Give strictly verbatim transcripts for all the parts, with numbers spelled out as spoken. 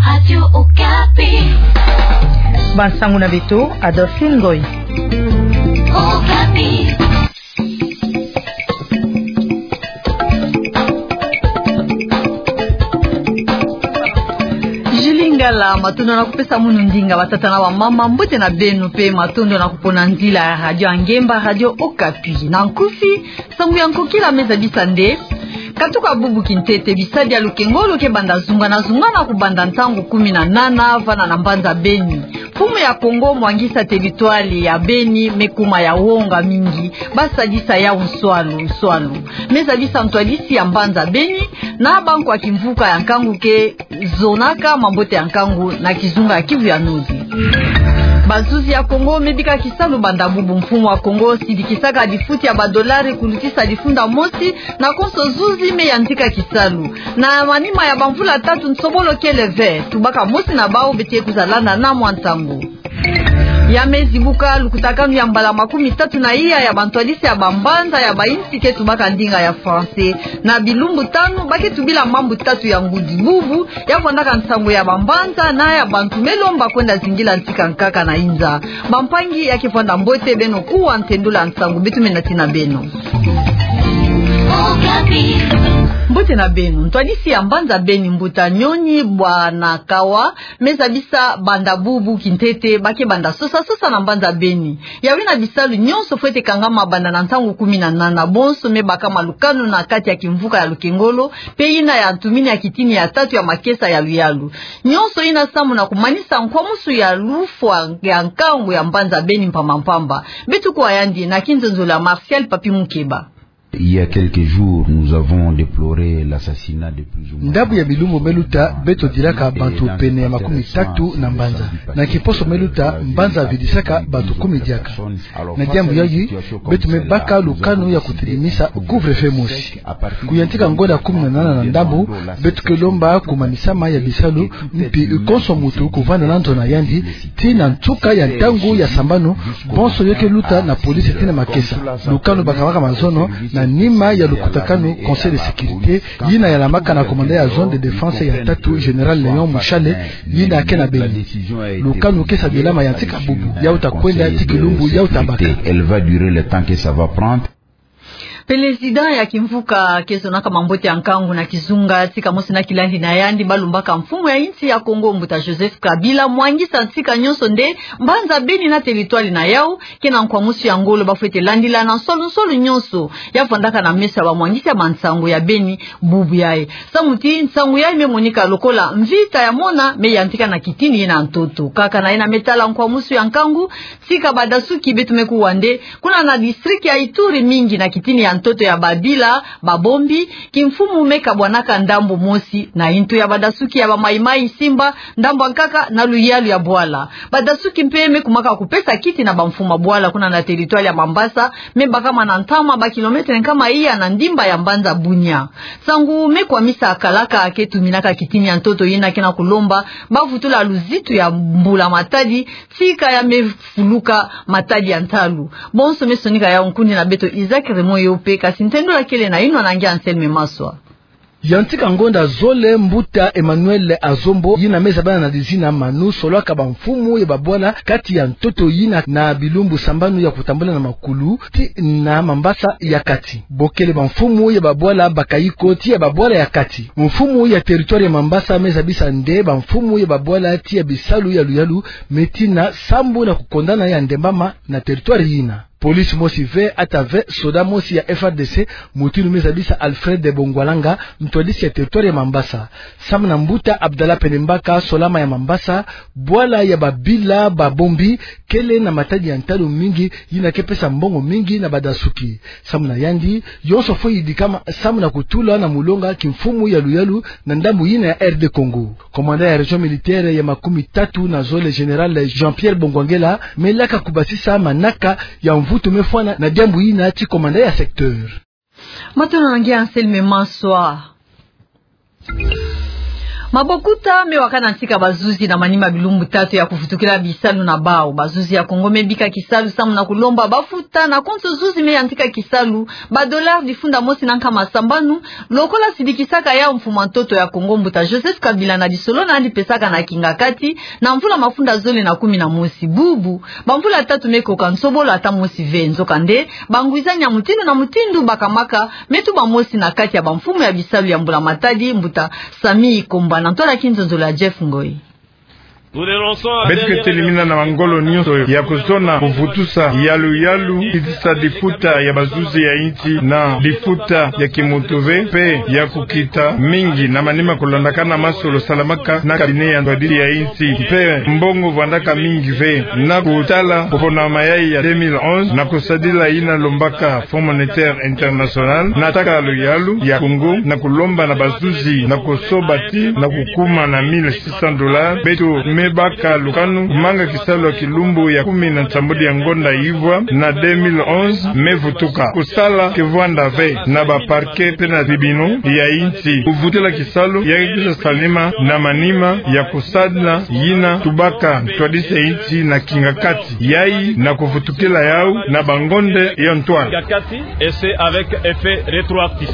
Radio Okapi. Bansangu na beto, Adolphine Ngoy. Okapi. Julie Ngala, matondo na kupesa munu ndinga. Batata na bamama, mbote na beno, mpe matondo na kupona nzila ya radio ya ngemba, Radio Okapi. Na nkufi, nsangu ya nkokila me zabisa nde: katuka bubu kintete, bisadi ya lukengolo ke banda zungana-zungana kubanda ntangu kumi na nana vana na mbanza Beni. Mfumu ya Kongo mwangisa teritware ya Beni me kuma ya wonga mingi, ba sadisa yau nswalu nswalu. Me zabisa ntwadisi ya mbanza Beni na bankwa kimvuka ya nkangu ke zonaka mambote ya nkangu na kizunga ya Kivu ya Nord. Bazuzi ya Kongo me bika kisalu banda bubu. Mfumu wa Kongo sidikisaka difuti ya badolari kulutisa difunda mosi na konso zuzi me yantika kisalu. Na manima ya bamvula tatu, nsobolo kele ve. Tubaka mosi na bau beto ke kwiza landa na mwa ntangu. Ya me zibuka lukutakanu ya mbala makumi tatu na iya ya bantwadisi ya bambanza ya bayinsi ke tubaka ndinga ya français. Na bilumbu tanu, ba ke tubila mambu tatu ya ngudi. Bubu, ya vwandaka nsangu ya bambanza na ya bantu me lomba kwenda zingila ntika nkaka na inza. Bampangi ya ke vwanda mbote, beno kuwa ntendula nsangu beto me nati na beno. Mbote na beno. Ntwadisi ya mbanza Beni, Mbuta Nyoni Bwanakawa, me zabisa banda bubu kintete ba ke banda sosa-sosa na mbanza Beni. Yawu yina bisalu nyonso fwete kangama banda na ntangu kumi na nana. Bonso me baka malukanu na kati ya kimvuka ya lukengolo, mpe yina ya ntumini ya kitini ya tatu ya makesa ya luyalu. Nyonso yina samu na kumanisa nkwamusu ya lufwa ya nkangu ya mbanza Beni mpamba-mpamba. Beto kuwa yandi na kinzonzolo ya Martial Papi Mukeba. Il y a quelques jours, nous avons déploré l'assassinat de plusieurs. Ndambu ya bilumbu me luta, beto dilaka bantu pene ya makumi tatu na mbanza. Na kiposo me luta, mbanza vidisaka bantu kumi diaka. Na diambu yayi, beto me baka lukanu ya kutilimisa couvre-feu mosi. Kuyantika ngonda kumi na nana na ndambu, beto ke lomba kumanisama ya bisalu, mpi konso muntu kuvanda na nzo na yandi, tii na nsuka ya ntangu ya sambanu. Bonso yo ke luta na police tii na makesa. Lukanu bakabaka mazono na nima ya lukutakanu Conseil de sécurité, yina yalamaka na commandant ya zone de défense ya tatu, Général Léon Mushale, yina ke na Beni. Lukanu ke sadilama yantika bubu, ya uta kwenda tii kilumbu ya uta baka. Elle va durer le temps que ça va prendre. Président ya kimvuka ke zonaka mambote ya nkangu na kizunga, tika mosi na kilandi na yandi, balumbaka mfumu ya insi ya Kongo, Mbuta Joseph Kabila, mwangisa tika nyonso nde mbanza Beni na territoire na yau ke na nkwamusu ya ngolo, ba fwete landila na nsolu-nsolu nyonso ya vwandaka na meso ya bamwangisi ya bansangu ya Beni bubu yayi. Samu ti nsangu yayi me monika lokola mvita ya mona, me yantika na kitini yina ntoto. Kaka na yina me tala nkwamusu ya nkangu, tika badasuki, beto me kuwa nde kuna na district ya Ituri, mingi na kitini ya ntoto ya babila, babombi, kimfumu me kabwanaka ndambu mosi na intu ya badasuki ya ba Mai Mai Simba, ndambu ya nkaka na luyalu ya bwala. Badasuki mpe me kumaka kupesa kiti na bamfumu ya bwala kuna na territoire ya Mambasa, me bakama na ntama ba kilomètre nkama iya na ndimba ya mbanza Bunia. Nsangu me kwamisa kalaka ke tuminaka kitini ya ntoto yina ke na kulomba ba vutula luzitu ya mbula-matadi, tika ya me fuluka matadi ya ntalu. Bonso me sonika yau nkundi na beto Isaac Raymond Yope, kasi ntendula kele na yinwa na nge Anselme Maswa. Yantika ngonda zole, Mbuta Emmanuel Azombo, yina me zabana na dizina Manu, solwaka bamfumu ya babwala kati ya ntoto yina na bilumbu sambanu ya kutambula na makulu tii na Mambasa ya kati. Bokele bamfumu ya babwala bakayiko tii ya babwala ya kati. Mfumu ya territoire ya Mambasa me zabisa nde bamfumu ya babwala tii ya bisalu ya luyalu me tina sambu na kukondana ya ndembama na territoire yina. Police mosi ve, ata ve soda mosi ya F R D C, mutindu me zabisa Alfred Bongwalanga, ntwadisi ya territoire ya Mambasa. Samu na Mbuta Abdallah Penembaka, solama ya Mambasa, bwala ya babila, babombi, kele na matadi ya ntalu mingi, yina ke pesa mbongo mingi na badasuki. Samu na yandi, yonso fwe yidikama samu na kutula na mulonga kimfumu ya luyalu na ndambu yina ya R D Congo. Commandant ya région militaire ya makumi tatu na zole, Général Jean-Pierre Bongwangela, me laka kubasisa manaka ya mvutu me fwana na diambu yina tii commandant ya secteur. Matondo na nge Anselme Maswa. Mabokuta me wakana ntika bazuzi na manima bilumbu tatu ya kuvutukila bisalu na bau. Bazuzi ya Kongo me bika kisalu samu na kulomba bafuta na konso zuzi me yantika kisalu ba dollars difunda mosi na nkama sambanu, lokola sidikisaka yau mfumu a ntoto ya Kongo mbuta Joseph Kabila na lisolo nani pesaka na kingakati na mvula mafunda zole na kumi na mosi. Bubu bamvula tatu me koka nsobolo ata mosi ve. Nzokande, bangwizani ya mutindu na mutindu bakamaka me tuba mosi na kati ya bamfumu ya bisalu ya mbula matadi, mbuta Sami Komba, na ntwala kinzonzolo ya Jeff Ngoi. Beto ke telimina na mangolo nyonso ya kuzona kuvutusa yalu yalu, kitisa lifuta ya bazuzi ya insi na lifuta ya kimuntu ve, mpe ya kukita mingi na manima kulandakana masolo salamaka na cabinet ya ntwadisi ya insi, mpe mbongo vwandaka mingi ve na kutala kupona mayai ya deux mille onze na kusadila yina lombaka Fonds Monétaire International, nataka yalu yalu ya Kongo na kulomba na bazuzi na kusoba tii na kukuma na mille six cents dollars. Beto me baka lukanu, manga kisalu ya kilumbu ya kumi na nsambwadi ya ngonda ivwa na deux mille onze me vutuka. Kusala ke vwanda ve na ba parquets mpe na tribunaux ya insi. Kuvutula kisalu ya ke kwiza salama na manima ya kusadila yina tubaka ntwadisi ya insi na kingakati, yayi na kuvutukila yau na bangonda ya ntwala. Et c'est avec effet rétroactif.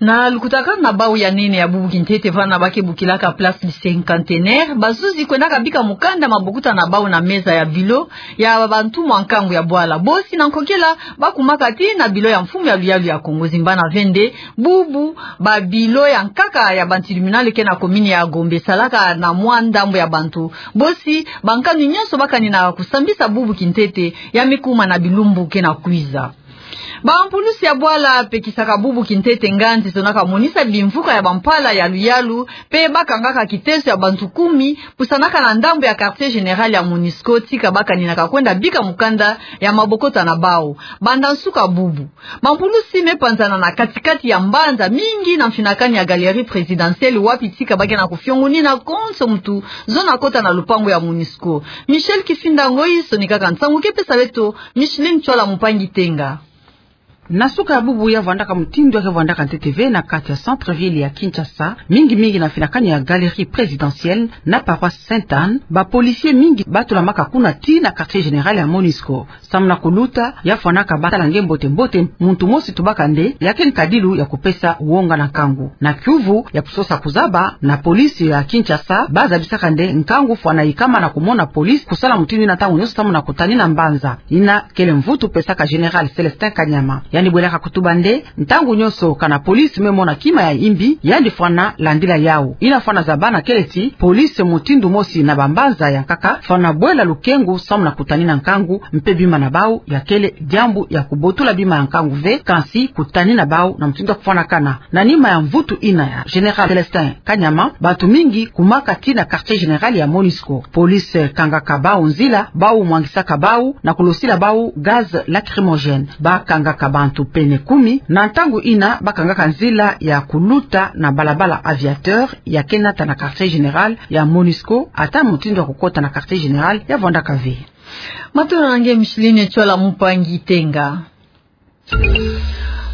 Na lukutakanu na bau ya nene ya bubu kintete, vana ba ke bokilaka Place du Cinquantenaire, bazuzi kwendaka bika mukanda, mabokuta na bau na meza ya bilo ya bantu mwa nkangu ya bwala. Bosi na nkokela bakumaka tii na bilo ya mfumu ya luyalu ya Kongo. Zimbana ve nde, bubu babilo ya nkaka ya ba tribunal ke na commune ya Gombe esalaka na mwa ndambu ya bantu. Bosi bankanu nyonso bakani na kusambisa bubu kintete, ya me kuma na bilumbu ke na kwiza. Bampulusi ya bwala pekisaka bubu kintete nganzi zonaka monisa bimvuka ya bampala ya luyalu, mpe bakangaka kitezo ya bantu kumi, pusanaka na ndambu ya quartier général ya Monusco, tika bakaninaka kwenda bika mukanda ya mabokota na bau. Banda nsuka bubu, bampulusi me panzana na katikati ya mbanza mingi na mfinakani ya Galerie Présidentielle, wapi tika ba ke na kufiongunina konso muntu zona kota na lupangu ya Monusco. Michel Kifinda Ngoi sonikaka nsangu ke pesa beto Micheline Tchoila Mupangi Tenga. Na suka ya bubu ya vwandaka mutindu ya ke vwandaka ntete ve na kati ya centre-ville ya Kinshasa, mingi mingi na mfinakani ya Galerie Présidentielle na paroisse Sainte-Anne, ba policiers mingi batulamaka kuna tii na quartier général ya Monusco. Samu na kuluta, ya fwanaka batala nge mbote mbote muntu mosi tubaka nde ya ke nkadilu ya kupesa wonga na nkangu. Na kiuvu ya kusosa kuzaba, na police ya Kinshasa bazabisaka nde nkangu fwana yikama na kumona police kusala mutindu yina ntangu nyonso samu na kutanina mbanza. Yina kele mvutu pesaka Général Célestin Kanyama. Yandi bwelaka kutuba nde, ntangu nyonso kana police me mona kima ya yimbi, yandi fwana landila yau. Yina fwana zaba na kele ti police mutindu mosi na bambanza ya nkaka fwana bwela lukengu samu na kutanina nkangu mpe bima na bau. Ya kele diambu ya kubotula bima ya nkangu ve, kansi kutanina bau na mutindu ya kufwanakana. Na nima ya mvutu yina ya Général Célestin Kanyama, bantu mingi kumaka tii na quartier général ya Monusco. Police kangaka bau nzila, bau mwangisaka bau na kulosila bau gaz lacrymogène. Bakangaka bantu pene kumi, na ntangu yina bakangaka nzila ya kuluta na balabala Aviateur ya ke nata na quartier général ya Monusco, ata mutindu ya kukota na quartier général ya vwandaka ve. Matondo na nge Micheline Tchoila Mupangi Tenga.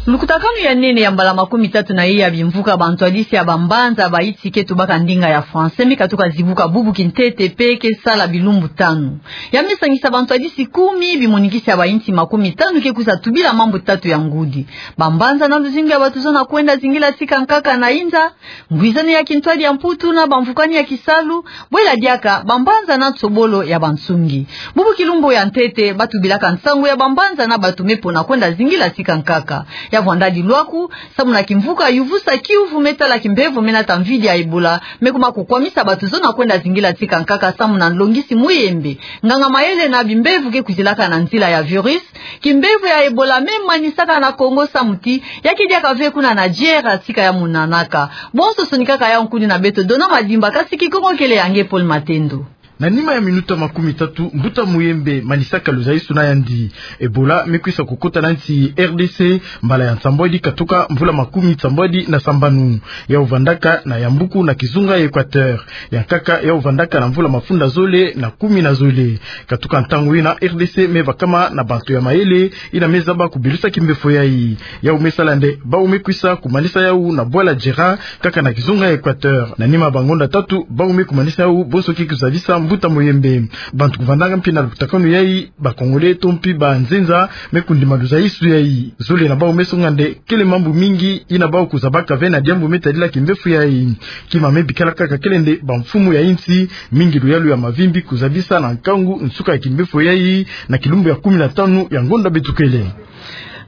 Lukutakanu ya nene ya mbala makumi tatu na ye ya bimvuka bantwadisi ya bambanza ba yinsi ke tubaka ndinga ya français me katuka zibuka bubu kintete mpe ke sala bilumbu tanu. Ya me sangisa bantwadisi kumi, bimonikisi ya bayinsi makumi tanu ke kwiza tubila mambu tatu ya ngudi: bambanza na luzingu ya bato zona kwenda zingila tika nkaka na inza, ngwizani ya kintwadi ya Mputu na bamvukani ya kisalu, bwela diaka bambanza na nsobolo ya bansungi. Bubu kilumbu ya ntete batubilaka nsangu ya bambanza na bato me pona kwenda zingila tika nkaka. Ya vwanda dilwaku, samu na kimvuka yuvusa kiuvu me tala kimbevo me nata mvidi ya Ebola me kuma kukwamisa bato zona kwenda zingila tika nkaka samu na nlongisi muyembe. Nganga mayele na bimbevo ke kwizilaka na nzila ya virus, kimbevo ya Ebola me manisaka na Kongo samu ti ya ke diaka ve kuna Nigeria tika ya monanaka. Bonso sonikaka yau nkuni na beto Dona Madimba, kasi Kikongo kele ya nge Paul Matendo. Na nima ya minuta makumi tatu, mbuta Muyembe manisaka luzaisu na yandi. Ebola me kwisa kukota na nsi R D C mbala ya nsambwadi katuka mvula makumi nsambwadi na sambanu. Yau vandaka na yambuku na kizunga ya Equateur. Ya nkaka yau vandaka na mvula mafunda zole na kumi na zole. Katuka ntangu yina, R D C me vakama na bantu ya mayele yina me zaba kubilusa kimbefo yayi. Yau me sala nde bau me kwisa kumanisa yau na bwala Djera, kaka na kizunga ya Equateur. Na nima bangonda tatu, bau me kumanisa yau bonso ki kuzabisa mbuta Muyembe. Bantu kuvandanga mpi na lukutakanu yayi, ba Congolais to mpi banzenza, me kundima luzaisu yayi. Zole na bau me songa nde kele mambu mingi yina bau kuzabaka ve na diambu me tadila kimbefo yayi. Kima me bikala kaka kele nde bamfumu ya insi, mingi luyalu ya mavimbi kuzabisa na nkangu nsuka ya kimbefo yayi, na kilumbu ya kumi na tanu ya ngonda beto kele.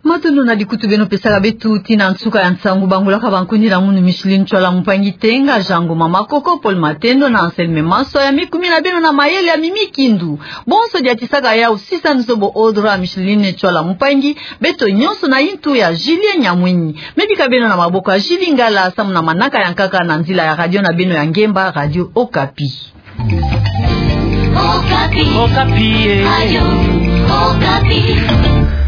Matondo na likutu beno pesaka beto tii na nsuka ya nsangu. Bangolaka bankuni na munu Micheline Tshoala Mpangi, Tenga Jango, Mama Koko, Paul Matendo na Anselme Maswa, ya mikumina beno na mayele ya Mimi Kindu. Bonso diatisaka yau sisa nzobo ordre ya Micheline Tshoala Mpangi, beto nyonso na intu ya Julien Nyamwini. Me bika beno na maboko ya Julie Ngala, samu na manaka ya nkaka na nzila ya radio na beno ya ngemba, Radio Okapi. Okapi. Okapi, eh. Radio Okapi.